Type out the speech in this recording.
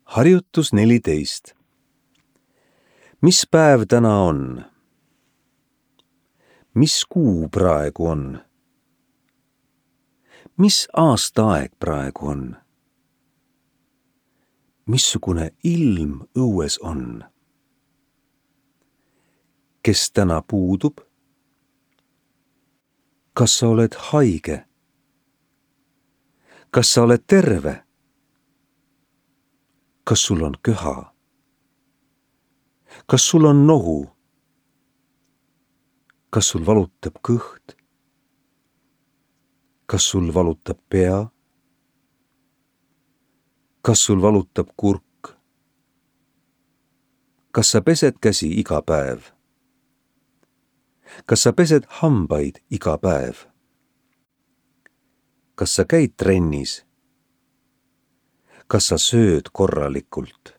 Harjutus 14. Mis päev täna on? Mis kuu praegu on? Mis aastaaeg praegu on? Missugune ilm õues on? Kes täna puudub? Kas sa oled haige? Kas sa oled terve? Kas sul on köha? Kas sul on nohu? Kas sul valutab kõht? Kas sul valutab pea? Kas sul valutab kurk? Kas sa pesed käsi iga päev? Kas sa pesed hambaid iga päev? Kas sa käid trennis? Kas sa sööd korralikult?